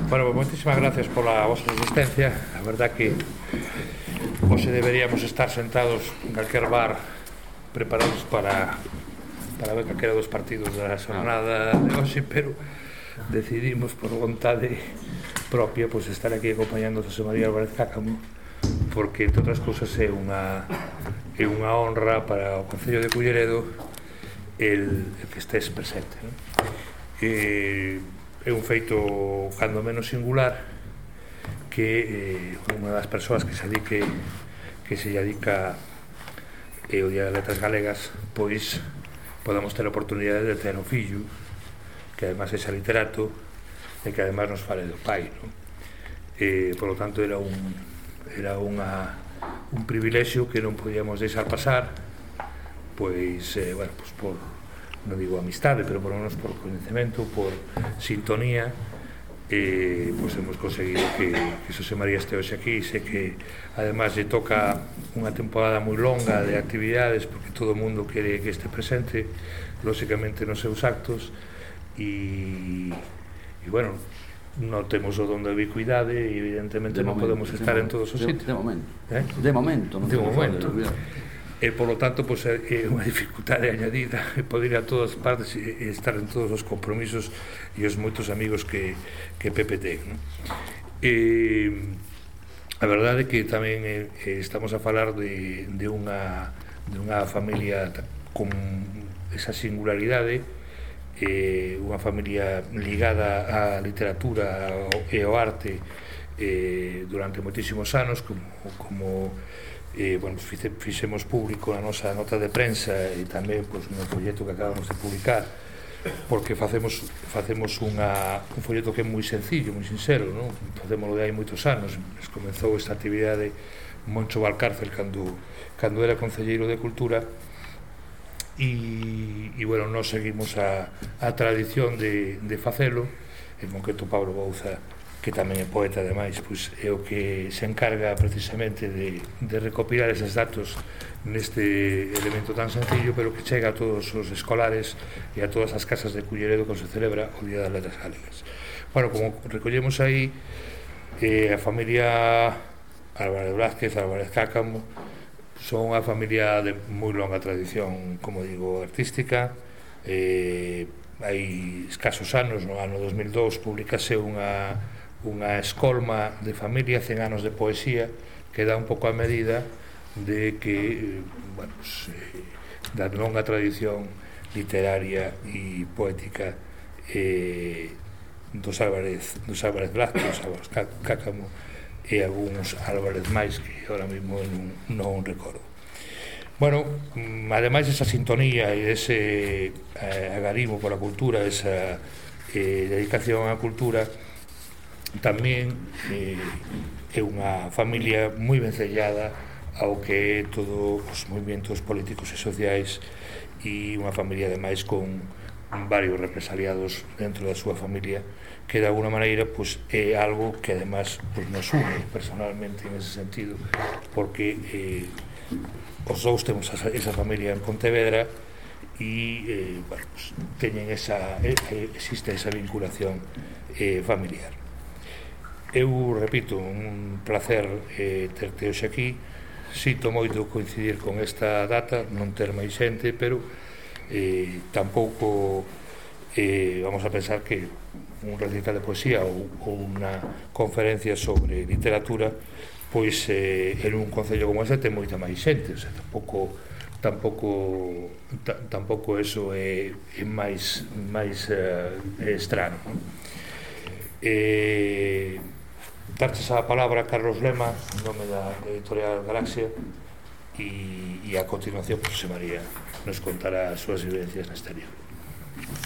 Bueno, moitísimas gracias pola vosa asistencia. A verdad que hoxe deberíamos estar sentados en calquer bar preparados para ver calquera dos partidos da xornada de hoxe, pero decidimos por vontade propia pois estar aquí acompañando a José María Álvarez Cácamo, porque entre outras cousas é unha honra para o Concello de Culleredo el que estés presente, non? É un feito cando menos singular que unha das persoas que se dedica o Día das Letras Galegas pois podamos ter a oportunidade de ter un fillo que además é literato e que además nos fale do pai, non? Por lo tanto era un privilexio que non podíamos deixar pasar, pois, bueno, pois por, non digo amistade, pero por lo menos por coñecemento, por sintonía, pois hemos conseguido que José María este hoxe aquí. Sei que además lle toca unha temporada moi longa de actividades, porque todo o mundo quere que este presente, lóxicamente nos seus actos, e bueno, non temos o don de ubicuidade e evidentemente non podemos estar en todos os sitios. De momento. E, polo tanto, pois, é unha dificultade añadida poder ir a todas partes e estar en todos os compromisos e os moitos amigos que Pepe ten, non? A verdade é que tamén estamos a falar de unha familia con esa singularidade, unha familia ligada á literatura e ao arte durante moitísimos anos, como bueno, fixemos público na nosa nota de prensa e tamén pois, no folleto que acabamos de publicar, porque facemos un folleto que é moi sencillo, moi sincero, non? Facémoslo de hai moitos anos. Comezou esta actividade Moncho Valcárcel cando era concelleiro de Cultura e bueno, nós seguimos a tradición de facelo. En concreto Pablo Bouza, que tamén é poeta ademais, pois é o que se encarga precisamente de recopilar eses datos neste elemento tan sencillo, pero que chega a todos os escolares e a todas as casas de Culleredo cando se celebra o Día das Letras Galegas. Bueno, como recollemos aí, a familia Álvarez Blázquez, Álvarez Cácamo, son unha familia de moi longa tradición, como digo, artística. Hai escasos anos, no ano 2002, publicase unha escolma de familia, 100 anos de poesía, que dá un pouco a medida de que, bueno, da longa tradición literaria e poética dos Álvarez Blázquez, dos Álvarez Cácamo e algúns Álvarez máis que ahora mesmo non recordo. Bueno, ademais esa sintonía e ese agarimo pola cultura, esa dedicación á cultura, tamén é unha familia moi vencellada ao que é todos os movimentos políticos e sociais, e unha familia ademais con varios represaliados dentro da súa familia, que de alguna maneira pois, é algo que ademais pois, nos une personalmente en ese sentido, porque os dous temos esa familia en Pontevedra e bueno, pues, existe esa vinculación familiar. Eu repito, un placer terte hoxe aquí. Sito moito coincidir con esta data, non ter máis xente, pero tampouco vamos a pensar que un recital de poesía ou unha conferencia sobre literatura pois en un concello como este ten moita máis xente, o sea, tampouco eso é máis estrano. Darches a palabra a Carlos Lema en nome da editorial Galaxia e a continuación José María nos contará as súas vivencias neste libro.